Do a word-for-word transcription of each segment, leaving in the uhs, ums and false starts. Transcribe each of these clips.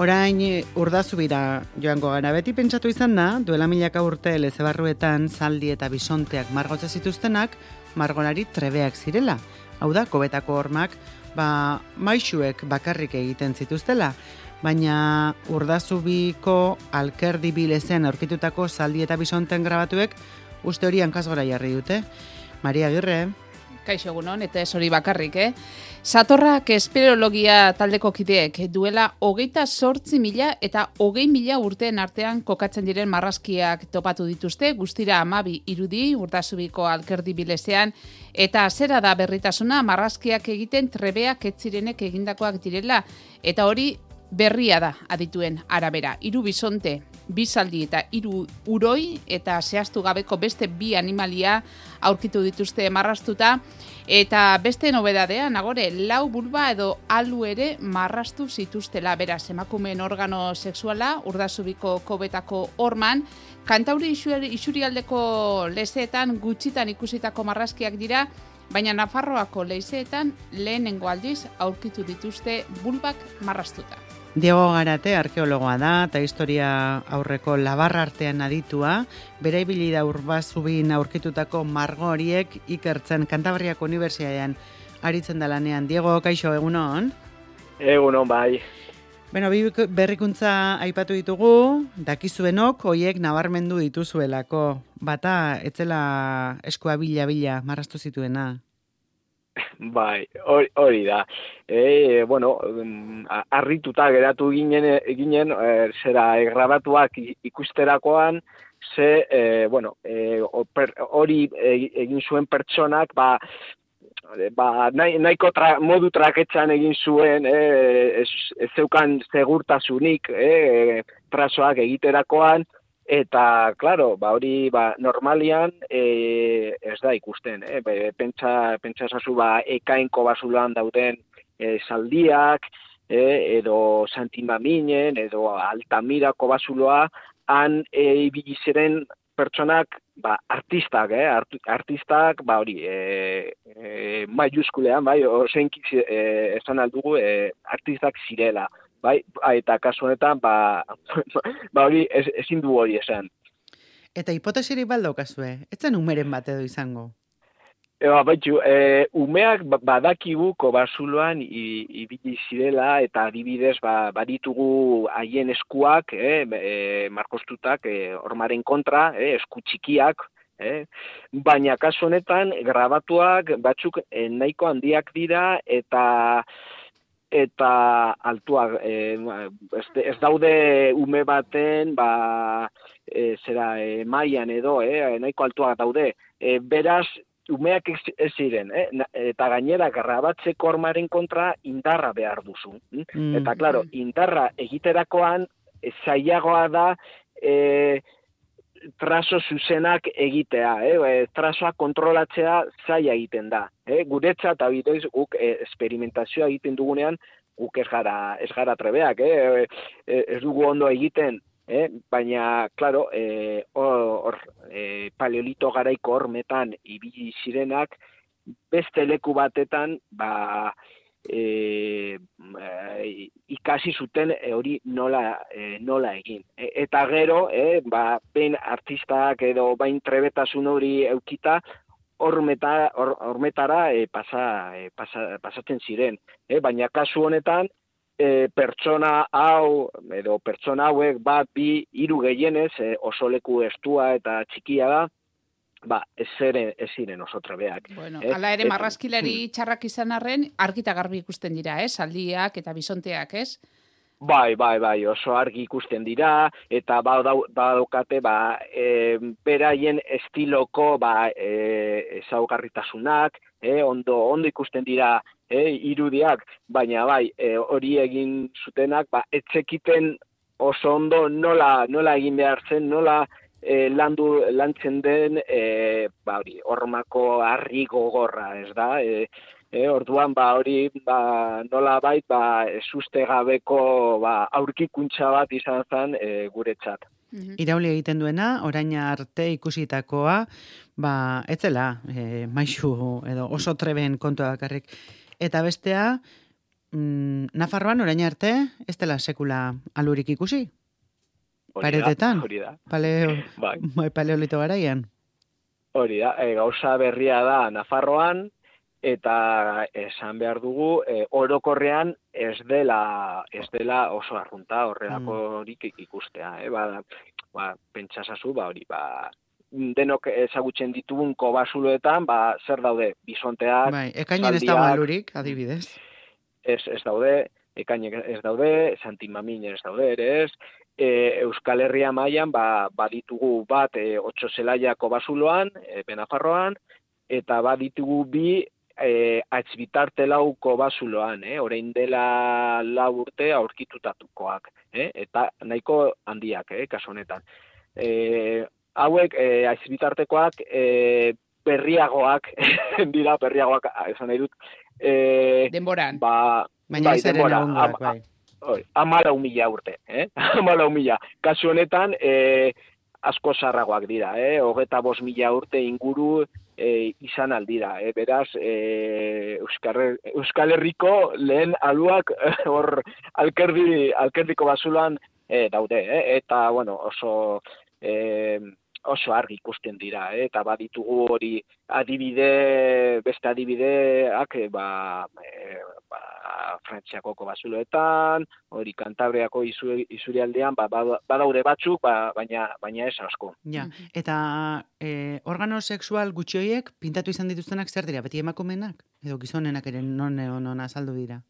Orain Urdazubira joango gara. Beti pentsatu izan da, duela milaka urte lezebarruetan zaldi eta bisonteak margotza zituztenak, margolari trebeak zirela. Hau da, kobetako hormak, ba, maixuek bakarrik egiten zituztela. Baina Urdazubiko alkerdi bilezean aurkitutako zaldi eta bisonten grabatuek uste hori hankasgora jarri dute. Maria Agirre. Kaixo egunon, eta ez hori bakarrik, eh? Satorrak espeleologia taldeko kideek duela hogeita zortzi mila eta hogei mila urteen artean kokatzen diren marrazkiak topatu dituzte, guztira hamabi irudi Urdazubiko alkerdi bilezean, eta zera da berritasuna marrazkiak egiten trebeak ez zirenek egindakoak direla, eta hori berria da adituen arabera. Hiru bisonte, bi zaldi eta hiru uroi eta zehaztu gabeko beste bi animalia aurkitu dituzte marraztuta, eta beste nobedadea, nagore, lau bulba edo alu ere marraztu zituztela, beraz, emakumeen organo sexuala, Urdazubiko kobetako horman, Kantauri isurialdeko lezeetan gutxitan ikusitako marrazkiak dira, baina Nafarroako leizeetan lehenengo aldiz aurkitu dituzte bulbak marraztuta. Diego Garate arkeologoa da eta historia aurreko labarra artean aditua, bere ibili da Urdazubin aurkitutako margo horiek ikertzen Kantabriako Unibertsitatean aritzen da lanean. Diego, kaixo, egunon? Egunon, bai. Bueno, bi berrikuntza aipatu ditugu, dakizuenok hoiek nabarmendu dituzuelako. Bata, etzela eskua bila-bila marraztu zituena. Bai, hori, hori da. E, bueno, harrituta geratu ginen, ginen e, zera grabatuak ikusterakoan, ze, e, bueno, hori e, egin zuen pertsonak, ba, ba, nahi, nahiko tra, modu traketzan egin zuen, e, ez, ez zeukan segurtasunik, e, trasoak egiterakoan, eta, claro, ba, hori ba, normalian e, ez da ikusten. Eh? Be, pentsa, pentsa esazu ba, ekainko basulan dauden e, zaldiak, e, edo Santimaminen, edo Altamirako basuloa, han e, ibili ziren pertsonak ba, artistak, eh? Art, artistak, ba, hori, e, e, maiuskulean, bai, ozenki e, esan aldugu, e, artistak zirela. Bai, eta kasu honetan, ba, ba hori ez, ezin du hori esan. Eta hipotesirik baldokazue, ez zen umeren bat edo izango? Eba, baitxu, e, umeak badakigu kobasuloan ibili zirela, eta adibidez ba, baditugu haien eskuak, e, e, markostutak, e, hormaren kontra, e, esku txikiak, e, baina kasu honetan, grabatuak batzuk e, nahiko handiak dira, eta eta altuak, e, ez, ez daude ume baten, ba, e, zera, e, mailan edo, e, nahiko altuak daude. E, beraz, umeak ez ziren, eh? Eta gainera grabatzeko hormaren kontra indarra behar duzu. Mm. Eta, klaro, indarra egiterakoan, zailagoa da, e, traso zuzenak egitea, eh? Trasoa kontrolatzea zaila egiten da. Eh? Guretzat, abitoiz, guk eh, experimentazioa egiten dugunean, guk ez gara, ez gara trebeak, eh? Ez dugu ondo egiten, eh? Baina, klaro, eh, or, eh, paleolito garaiko hormetan ibili zirenak, beste leku batetan, ba, E, e, ikasi zuten e, hori nola, e, nola egin. E, eta gero, e, ba, behin artistak edo bain trebetasun hori eukita, hormetara or, e, pasa, e, pasa, pasatzen ziren. E, baina kasu honetan, e, pertsona hau, edo pertsona hauek bat, bi, hiru gehienez, e, oso leku estua eta txikia da, ba, ez ziren, ez ziren oso trebeak. Bueno, eh? Ala ere marrazkilari txarrak izan arren, argita garbi ikusten dira, eh? Zaldiak eta bisonteak, ez? Bai, bai, bai, oso argi ikusten dira, eta badaukate, ba, e, beraien estiloko, ba, e, ezaugarritasunak, e, ondo, ondo ikusten dira, e, irudiak, baina bai, e, hori egin zutenak, ba, etzekiten oso ondo nola, nola egin behar zen, nola E, landu, lantzen den e, ba, hori, hormako harri gogorra, ez da? E, e, orduan, ba, hori, ba, nola bait, ba, ezuste gabeko ba, aurkikuntza bat izan zen e, guretzat. Irauli egiten duena, orain arte ikusitakoa, ba, etzela, e, maixu edo oso treben kontua bakarrik. Eta bestea, mm, Nafarroan orain arte, ez dela sekula alurik ikusi? Paretetan? Hori da. Paleo, bai. Paleolito garaian? Hori da, e, gauza berria da Nafarroan, eta esan behar dugu, e, orokorrean ez dela, ez dela oso arrunta horrelakorik mm. ikustea. Eh? Ba, ba, pentsasazu, ba, hori, ba, denok ezagutzen ditugun kobasuloetan, ba, zer daude, bisonteak, bai, ekainen ez dago alurik, adibidez. Ez, ez daude, ekainek ez daude, santimamin ez daude ere ez, e, Euskal Herria mailan ba, baditugu bat e, otso zelaia kobasuloan, e, Benafarroan, eta baditugu bi e, atzbitarte lau kobasuloan, eh? Orain dela lau urte aurkitutatukoak, eh? Eta nahiko handiak, eh? Kasu honetan. E, hauek e, atzbitartekoak e, berriagoak, dira berriagoak, esan nahi dut, e, denboran. Ba, baina ez ere nagunduak, bai. Amalau mila urte, eh? Amalau mila. Kasu honetan, e, asko zarragoak dira, eh? Hogeta bost mila urte inguru e, izan aldira, eh? Beraz, e, Euskal, Euskal Herriko lehen aluak hor alkerdi, alkerdiko basulan e, daude, eh? Eta, bueno, oso... E, oso argi ikusten dira, eh? Eta baditugu hori adibide, beste adibideak, ba, e, ba, Frantziako kobasuloetan, hori Kantabriako isurialdean, ba, badaude batzuk, ba, baina, baina ez asko. Ja, eta e, organo sexual gutxi horiek pintatu izan dituztenak zer dira, beti emakumenak? Edo gizonenak ere non non azaldu dira?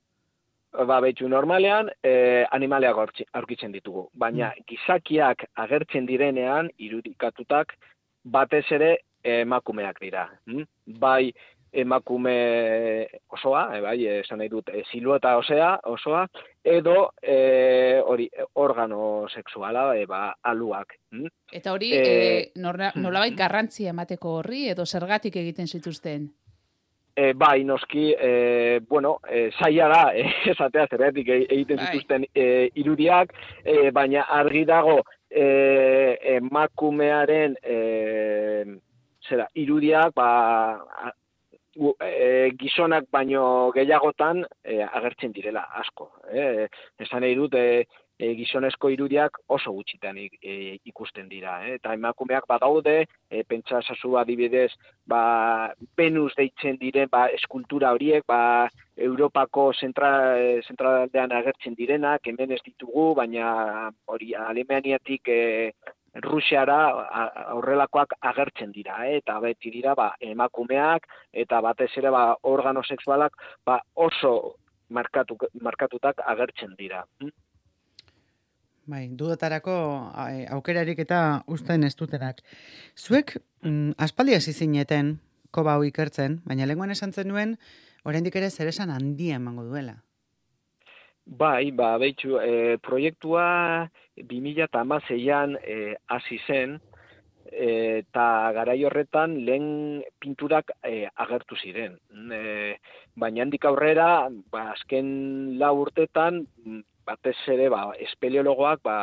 Ba, betxu, normalean eh, animaleak aurkitzen ditugu, baina mm. gizakiak agertzen direnean, irudikatutak, batez ere emakumeak dira. Mm? Bai emakume osoa, e, bai, esan nahi dut, e, silueta osea, osoa, edo e, hori organo sexuala, e, ba, aluak. Mm? Eta hori, e, e, nolabait garrantzia emateko horri, edo zergatik egiten zituzten? E, bai, noski, e, bueno, e, zaila da, e, esatea zergatik egiten zituzten e, irudiak, e, baina argi dago e, emakumearen e, zera, irudiak, ba, e, gizonak baino gehiagotan e, agertzen direla, asko. E, esan nahi dut, e, E, gizonezko irudiak oso gutxitan e, ikusten dira. Eh? Eta emakumeak badaude, e, pentsa ezazu adibidez, ba, Venus deitzen diren ba, eskultura horiek, ba, Europako zentraldean agertzen direnak, hemen ez ditugu, baina hori Alemaniatik e, Rusiara aurrelakoak agertzen dira, eh? Eta beti dira ba, emakumeak, eta batez ere ba, organo sexualak ba, oso markatu, markatutak agertzen dira. Hm? Bai, dudatarako aukerarik eta uzten ez dutenak. Zuek, mm, aspaldi hasi zineten, koba hau ikertzen, baina lenguan esan zenuen, oraindik ere zeresan handia emango duela. Bai, ba, behitxu, e, proiektua bi mila hamaseian e, hasi zen, eta e, garai horretan lehen pinturak e, agertu ziren. E, baina handik aurrera, ba, azken lau urtetan, batez ere, ba, espeleologoak, ba,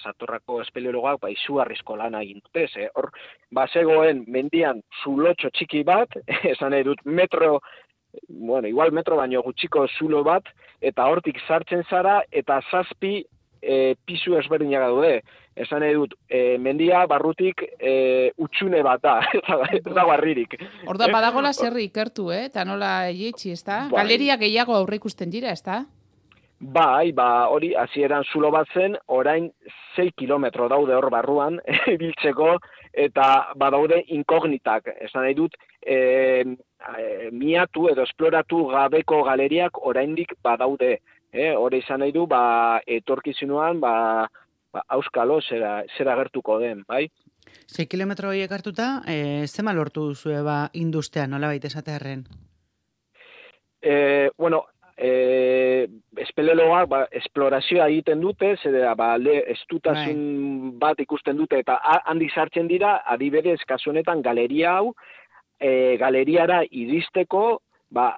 Satorrako espeleologoak, ba, izugarrizko lana egin dute, ze, hor, ba, zegoen mendian zulotxo txiki bat, esan nahi dut metro, bueno, igual metro baino gutxiko zulo bat, eta hortik sartzen zara, eta zazpi e, pisu ezberdinak daude. Esan nahi dut, e, mendia barrutik e, utxune bat da, ez da barririk. Orda, badagola zerri ikertu, eh? Eta nola eietxi, ez da? Bai. Galeria gehiago aurre ikusten dira, ez da? Bai, ba, hori, hasieran zulo bat zen, orain sei kilometro daude hor barruan, biltzeko, eta badaude inkognitak. Esan nahi dut, e, e, miatu edo esploratu gabeko galeriak oraindik badaude. E, hori izan nahi du, ba, etorkizunuan, ba, ba, auskalo zera, zera gertuko den, bai? sei kilometro horiek hartuta, e, zema lortu duzue ba, industea, nola baita esatearen? E, bueno, E, espeleologoak ba, esplorazioa egiten dute, zera ba, le, estutasun right. bat ikusten dute, eta handi sartzen dira, adibidez, kasu honetan galeria hau, e, galeriara iristeko, ba,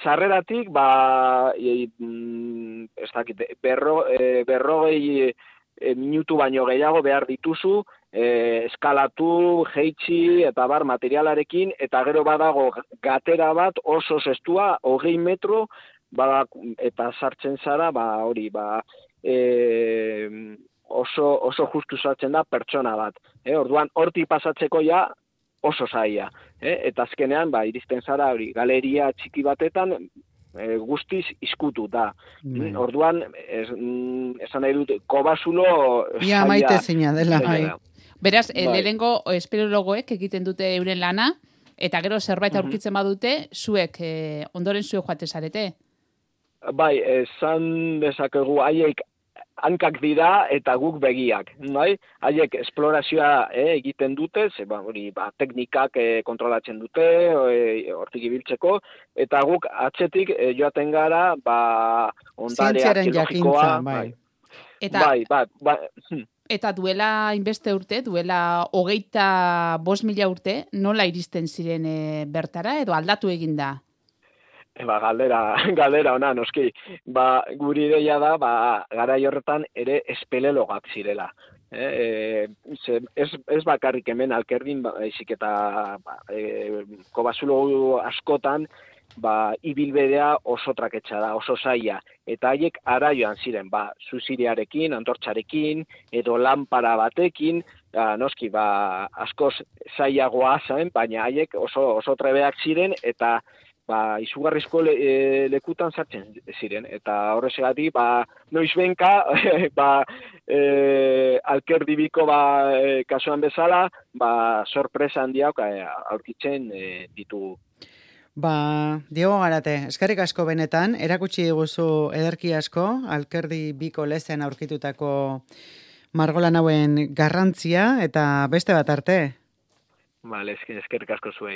sarreratik, ba, e, ez dakit, berro, e, berrogei e, minutu baino gehiago behar dituzu, e, eskalatu, jeitsi, eta bar, materialarekin, eta gero badago gatera bat oso zestua, hogei metro, ba, eta sartzen zara, ba, hori, ba, e, oso, oso justu sartzen da pertsona bat. Eh? Orduan, hortik pasatzeko ja oso zaila. Eh? Eta azkenean, ba, iristen zara, hori, galeria txiki batetan, e, guztiz izkutu da. Mm. Orduan, ez, mm, esan nahi dut, kobazulo... Ia maite zina dela, bai. Beraz, bai. Lehenengo espeleologoek egiten dute euren lana, eta gero zerbait aurkitzen badute, zuek, eh, ondoren zuek joate zarete? Bai, esan dezakegu haiek hankak dira eta guk begiak, bai? Haiek esplorazioa eh, egiten dute, ze, ba, hori, ba, teknikak eh, kontrolatzen dute, eh, hortik ibiltzeko, eta guk atzetik eh, joaten gara, ba, ondare arkeologikoa, bai. Eta, bai, bai, bai. Eta duela inbeste urte, duela hogeita bost mila urte, nola iristen ziren e, bertara, edo aldatu egin da? E, ba, galdera, galdera ona, noski. Ba, guri ideia da, ba, garai horretan ere espeleologak zirela. E, e, ze, ez, ez bakarrik hemen Alkerdin, ba, ezik eta ba, e, kobazulo askotan, ba, ibilbidea oso traketsa da, oso zaila. Eta haiek ara joan ziren, ba, zuziriarekin, antortxarekin, edo lanpara batekin, ba, noski, ba, askoz zailagoa zen, baina haiek oso, oso trebeak ziren, eta ba, izugarrizko le, e, lekutan sartzen ziren. Eta horrezegatik, ba, noiz benka, ba, e, Alkerdibiko ba, e, kasuan bezala, ba, sorpresa handiak e, aurkitzen e, ditugu. Ba, Diego Garate, eskerrik asko benetan, erakutsi diguzu ederki asko, Alkerdi biko lezen aurkitutako margolan hauen garrantzia, eta beste bat arte. Vale, eskerrik asko zuei.